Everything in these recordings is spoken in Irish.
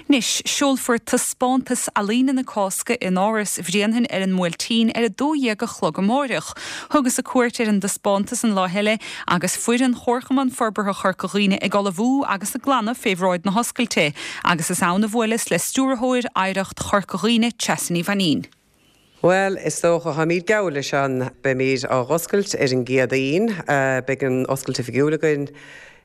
Anois, seolfar taispeántas ealaíne na Cásca in Áras Bhréanainn ar an mBuailtín ar 12 a chlog amáireach. Thugas-sa cuairt ar an dtaispeántas an lá eile agus foireann Chomharchumann Forbartha Chorca Dhuibhne ag ullmhú agus ag glanadh fé bhráid na hoscailte agus is ann a bhuaileas le Stiúrthóir Oidhreacht Chorca Dhuibhne, Treasa Ní Mhainín. Bhuel, is dócha, táimid geall leis an, beimid á dh'oscailt ar an gCéadaoin, beidh an oscailt oifigiúil againn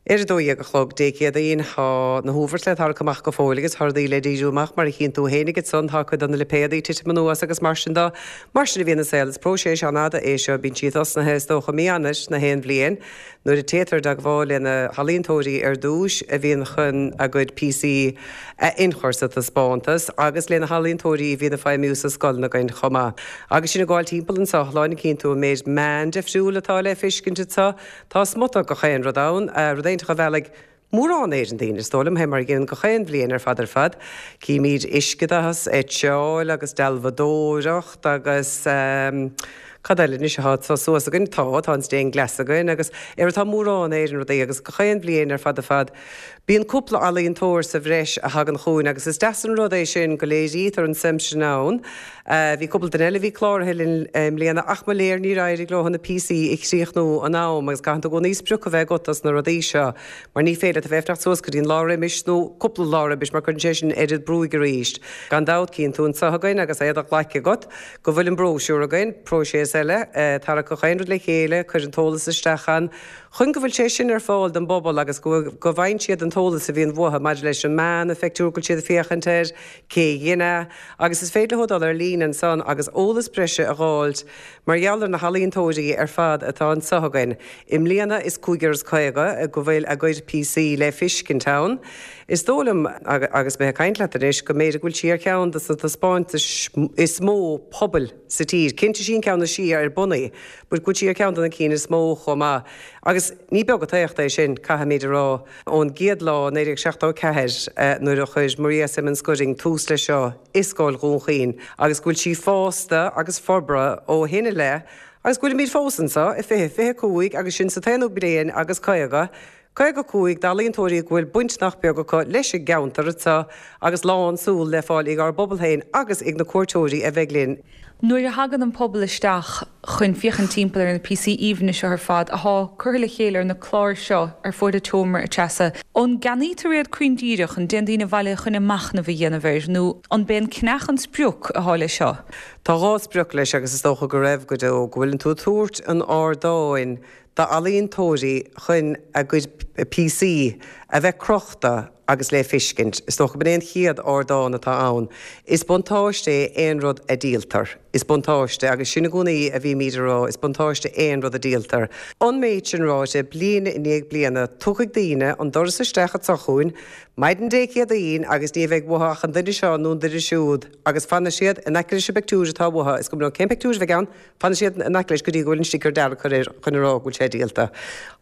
ar a 12 a chlog Dé Céadaoin. Tá na huabhairt le tarrac amach go fóill agus tá rudaí le díriú amach mar a chíonn tú fhéinig ansan, tá cuid de na lipéadaí ag titim anuas agus mar sin de. Mar sin a bhíonn an saol, is próiseas an-fhada é seo, bíonn sí tosnaithe is dócha mí Eanáir na haon bhliain. Nuair a téitear i dteagmháil le na healaíontóirí ar dtúis a bhíonn chun a gcuid píosaí a ionchur sa taispeántas agus le na healaíontóirí a bhíonn ag feidhmiú sa scoileanna againn chomh maith. Agus sinn ag gabháil timpeall anseo, lá cíonn tú an méid meán difriúil atá le feiscint anseo. Tá smut gach aon rud ann, rud éinteach a mheallfaidh mórán Éireann daoine, is dóigh liom, fé mar a dhéanann gach aon bhliain ar fad ar fad. Címid uiscedath, eitseáil agus dealbhadóireacht agus cad eile anois atá anseo suas againn? Tá, tá an stained glass againn agus ar tá mórán Éireann rudaí agus gach aon bhliain ar fad ar fad bíonn cúpla ealaíontóir sa bhreis a thagann chugainn agus is deas an rud é sin go léirítear an suim sin ann. Bhí cúpla duine eile a bhí cláraithe linn i mbliana ach mo léir níor éirigh leo na píosaí a chríochnú in am agus caitheann tú i gcónaí sprioc a bheith agat dos na rudaí seo mar ní féidir leat a bheith ag fanacht suas go dtí an lá roimis nó cúpla lá roimis mar cuireann sé sin oiread brúigh arís. Gan dabht cíonn tú anseo againn agus é do ghlaic agat go bhfuil an bróisiúr againn, próiseas eile, tarrac gach aon rud le chéile, cuir an t-eolas isteach ann chun go bhfuil sé sin ar fáil don bpobal agus go go bhfaigheann siad an t-eolas a bhíonn uathu maidir leis an meán, an phictiúr go bhfuil siad ag féachaint air, cé a dhein é, agus is féidir leo dul ar líne ansan agus eolas breise a dh'fháilt mar gheall ar na healaíontóirí ar fad atá anso againn. I mbliana is 150 go bhfuil a gcuid píosaí le fiscint ann. Is dóigh liom, agus mé ag caint leat anois, go mb'fhéidir go bhfuil sí ar cheann de na taispeántais is mó pobail sa tír. Cinnte sí an ceann is sia ar bun í, but go bhfuil sí ar cheann de na cinn is mó chomh maith. Agus ní beag an t-éacht é sin, caithfimid a rá. Ón gcéad lá, 1974, nuair a chuir Maria Simmons Gooding tús leis seo i Scoil Dhún Chaoin, agus go bhfuil sí fásta agus forbartha ó shin i leith, agus go bhfuilimid fós anseo i 2025 agus sinn sa t-aonú bliain agus 50, 55 d'ealaíontóirí go bhfuil baint nach beag acu leis an gceantar anseo agus lán súl le fáil ag ár bpobal féin agus ag na cuairteoirí a bheidh linn. Nuair a thagann an pobal isteach chun féachaint timpeall ar na píosaí aoibhne seo ar fad athá curtha le chéile ar na cláir seo ar fuaid an tseomra, a Treasa, an gceannaítear iad cruinn díreach, an dtéann daoine abhaile chun a machnamh a dhéanamh air nó an b'é an ceannach an sprioc athá leis seo? Tá dhá sprioc leis agus is dócha go raibh go deo, go bhfuileann tú ag tabhairt an ardáin d'ealaíontóirí chun a gcuid píosaí a bheith crochta agus le fiscint. Is dócha b'in é an chéad ardán atá ann. Is buntáiste é aon rud a díoltar. Is buntáiste, agus sin i gcónaí a bhímíd a rá, is buntáiste aon rud a díoltar. An méid sin ráite, bliain i ndiaidh bliana, tiocfaidh daoine an doras isteach anso chugainn maidin Dé Céadaoin agus ní bheidh uathu ach an duine seo nó an duine siúd agus fanfaidh siad in aice leis an bpictiúr atá uathu, is cuma leo cén pictiúr a bheidh ann, Fanfaidh siad in aice leis go dtí go bhfuil an sticker dearg curtha air chun a rá go bhfuil sé díolta.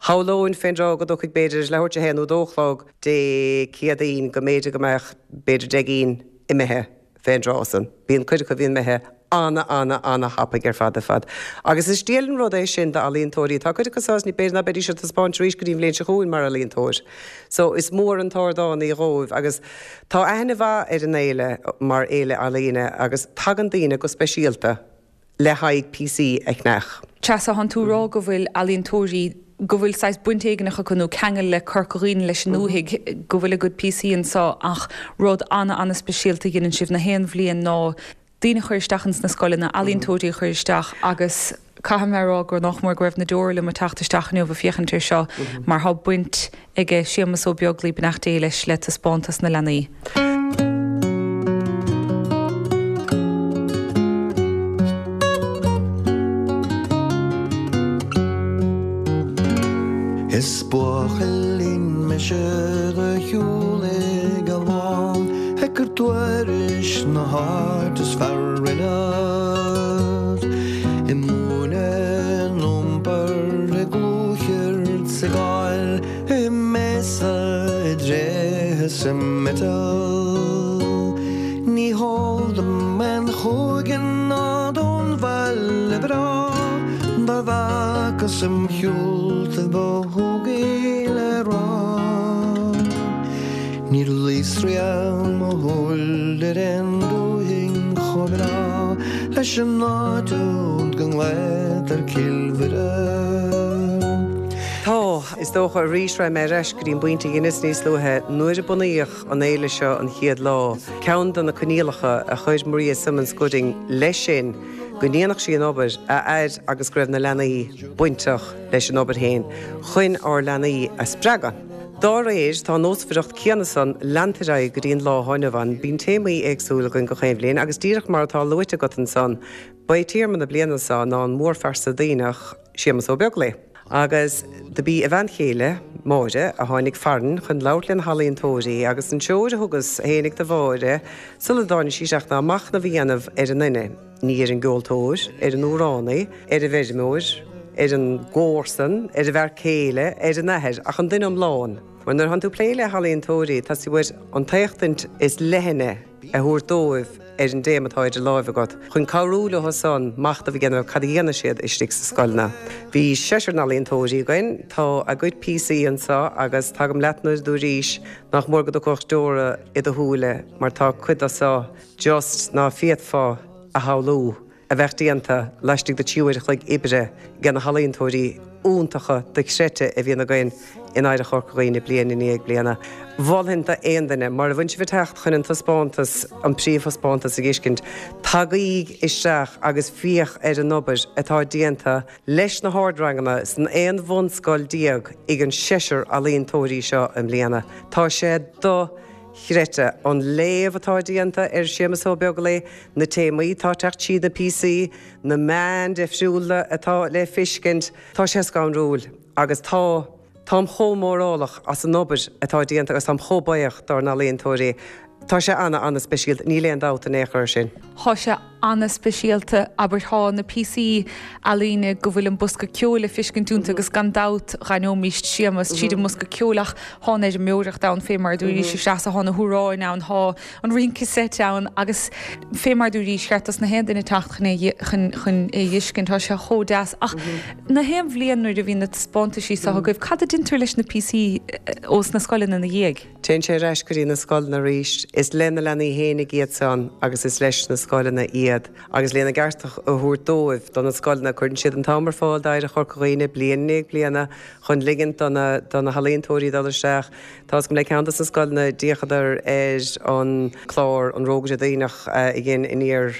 Shamhlóinn fén dtráth go dtiocfaidh b'fhéidir leathuair tar éis a haon nó dó a chlog Dé Céadaoin go mb'fhéidir go mbeadh b'fhéidir 10 gcinn imithe fén dtráth san. Bíonn cuid acu a bhíonn imithe ana ana ana thapaidh ar fad ar fad. Agus is diail an rud é sin d'ealaíontóirí. Tá cuid acu sásta b'fhéidir ná beidís ar taispeáint arís go dtí an bhliain seo chugainn mar ealaíontóir. So is mór an t-ardán í dhóibh agus tá aithne mhaith ar an fhéile mar fhéile ealaíne agus tagann daoine go speisialta le haghaidh píosaí a cheannach. Treasa, Thánn tú ag rá go bhfuil ealaíontóirí, go bhfuil saghas baint éigineach acu nó ceangal le Corca Dhuibhne, leis an ndúthaigh, go bhfuil a gcuid píosaí anseo ach rud ana-ana-speisialta a dheineann sibh na haon bhliain ná daoine a chur isteach ins na scoileanna, ealaíontóirí a chur isteach agus caithfidh mé a rá gur nách mór go raibh na deora liom ag teacht isteach inniu ag féachaint air seo mar thá baint aige Séamus Ó Beaglaoi, beannacht Dé leis, le taispeántas na leanaí. Is buachaillín mise do shiúlaigh a lán ag cur tuairisc na háit is fearr ionad i múineadh in iompar i gclúcheird 's i gcáil i mbéasa i dtréithe 's i miotal. Ní heol dom aon chúige ná don bhaile breá dá bhfacas im shiúltaibh ba shúgaí le rá. Níor luíos riamh mo. Leis an áit úd go nglaotar Cill Mhuire. Tá, is dócha, arís raghaidh mé ar ais go dtí an bpointe a dheineas níos luaithe, nuair a bunaíodh an fhéile seo an chéad lá, ceann de na coinníollacha a chuir Maria Simmons Gooding leis sin go ndéanfadh sí an obair a fhad agus go raibh na leanaí bainteach leis an obair féin, chun ár leanaí a spreagadh. Dá réir, tá an nósmhaireacht céanna san leanta ar aghaidh go dtí an lá atá inniu ann. Bíonn téamaí éagsúla againn gach aon bhliain agus díreach mar atá luaite agat ansan, ba é téama na bliana seo ná an mórphearsa Duibhneach, Séamus Ó Beaglaoi. Agus do b'í a bhean chéile, Máire, a tháinig farainn chun labhairt le na healaíontóirí agus an treoir a thugas fhéinig do Mháire sula dtáinig sí isteach ná machnamh a dhéanamh ar an nduine. Ní ar an gceoltóir, ar an amhránaí, ar an bhfeirmeoir, ar an gcomharsan, ar an bhfear céile, ar an athair, ach an duine iomlán. Mar nuair atánn tú ag plé le healaíontóirí, tá sé uait an t-éachtaint is leithne a thabhairt dóibh ar an dtéama atá idir láimhe agat, chun cabhrú leo san machnamh a dhéanamh ar cad a dhéanann siad istigh sa scoileanna. Bhí seisear n-ealaíontóirí againn, tá a gcuid píosaí anseo agus tagaim leat nuair a dúraís nach mór go dtiocfadh deora i do shúile mar tá cuid de seo just ná féadfá a shamhlú a bheadh déanta laistigh de 3 uair a chloig oibre ag na healaíontóirí iontacha dochreidte a bhíonn againn in Oidhreacht Chorca Dhuibhne bliain i ndiaidh bliana. Mholfainn d'aon duine, mura bhfuil sibh ag teacht chun an taispeántas, an príomhthaispeántas a dh'fheiscint, tagaíg isteach agus féach ar an obair atá déanta leis na hardranganna san 11 bhunscoil ag an seisear ealaíontóirí seo i mbliana. Tá sé do. chreidte. An léamh atá déanta ar Séamus Ó Beaglaoi, na téamaí atá ag teacht tríd na píosaí, na meáin difriúla atá le feiscint, tá sé scanrúil agus tá, táim chomh mórálach as an obair atá déanta agus táim chomh buíoch dár n-ealaíontóirí. Tá sé ana, ana speisialta, níl aon dabht in aon chor air sin. Tá sé ana-speisialta, abair, thá na píosaí ealaíne go bhfuil an bosca ceoil le fiscint iontu agus gan dabht dh'aithneoimíst Séamus tríd an mbosca ceoil ach thá an fheirmeoireacht ann fé mar a dúraís a Threasa, thá na hamhráin ann, thá an rince seit ann agus fé mar a dúraís cheart dos na haon duine teacht chun é chun chun é dh'fhiscint, tá sé chomh deas. Ach na haon bhliain nuair a bhíonn na taispeántaisí so agaibh, cad a deintear leis na píosaí ós na scoileanna ina dhiaidh? Téann sé ar ais go dtí na scoileanna arís. Is le na leanaí fhéinig iad san agus is leis na scoileanna iad. Agus lena gceart a thabhairt dóibh, do na scoileanna, cuireann siad an t-am ar fáil d'Oidhreacht Chorca Dhuibhne bliain i ndiaidh bliana chun ligint do na do na healaíontóirí dul isteach. Tá's agam le ceann dos na scoileanna d'fhéachadar ar an clár An Rógaire Duibhneach a dhein Aniar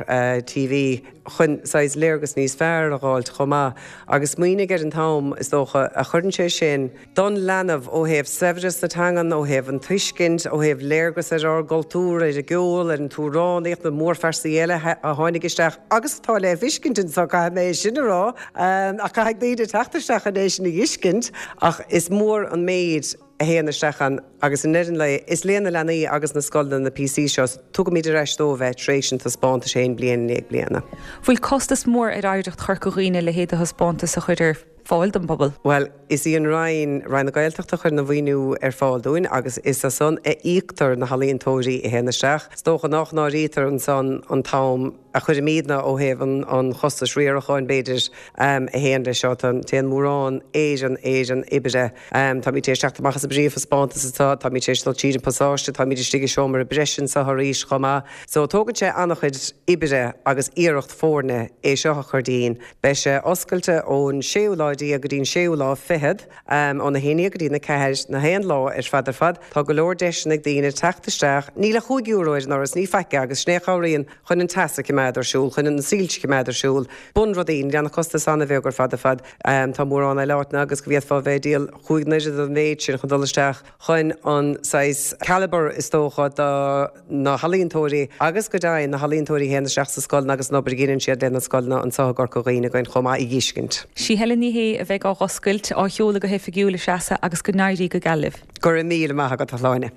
TV chun saghas léargas níos fearr a dh'fháilt chomh maith. Agus smaoinigh ar an t-am, is dócha, a chuireann sé sin don leanbh ó thaobh saibhreas na teangan, ó thaobh an tuiscint, ó thaobh léargas ar ár gcultúr, ar an gceol, ar an t-amhránaíocht, na mórphearsaí eile a tháinig isteach agus atá le fiscint anseo, caithfidh mé é sin a rá, ach caithfidh daoine teacht isteach chun é sin a dh'fhiscint. Ach is mór an méid a théann isteach ann agus i ndeireadh an lae, is le na leanaí agus na scoileanna na píosaí seo, tugaimid ar ais dóibh é tar éis an taispeántais féin bliain i ndiaidh bliana. Bhfuil costas mór ar Oidhreacht Chorca Dhuibhne a leithéid de thaispeántas a chur ar fáil don bpobal? Bhuel, is í an Roinn, Roinn na Gaeltachta a chuireann an mhaoiniú ar fáil dúinn agus is as san a íoctar na healaíontóirí a théann isteach. Is dócha nach n-áirítear ansan an t-am a chuirimidne ó thaobh an chostais riaracháin, b'fhéidir, a théann leis seo. Téann mórán Éireann, Éireann oibre. Táimid tar éis teacht amach as an bpríomhthaispeántas anseo, táimid tar éis dul tríd an bpasáiste, táimid istigh i seomra breise anseo arís chomh maith. So tógann sé an-chuid oibre agus iarracht foirne é seo a chur dínn. Beidh sé oscailte ón séú lá déag go dtí an séú lá fichead, óna haon dhéag go dtí na ceathair, na haon lá ar fad ar fad. Tá go leor deiseanna ag daoine teacht isteach. Níl ach €5 ar an ndoras, ní faic é, agus sin é a chabhraíonn chun an teas a choimeád ar siúl, chun na soilse a choimeád ar siúl. Bunrudaí, níl ann ach costas an-bheag ar fad ar fad. Tá mórán eile áiteanna agus go bhféadfá a bheith ag díol chúig n-oiread an mhéid sin chun dul isteach chun an saghas calibre is dócha do na healaíontóirí agus go deimhin na healaíontóirí a théann isteach sa scoileanna agus an obair a dheineann siad le na scoileanna anseo i gCorca Dhuibhne againn chomh maith a dh'fheiscint. Sí Helen Ní Shé a bheidh á dh'oscailt, á sheoladh go hoifigiúil, a Threasa, agus go n-éirí go geal libh. Go raibh míle maith agat, a Shláine.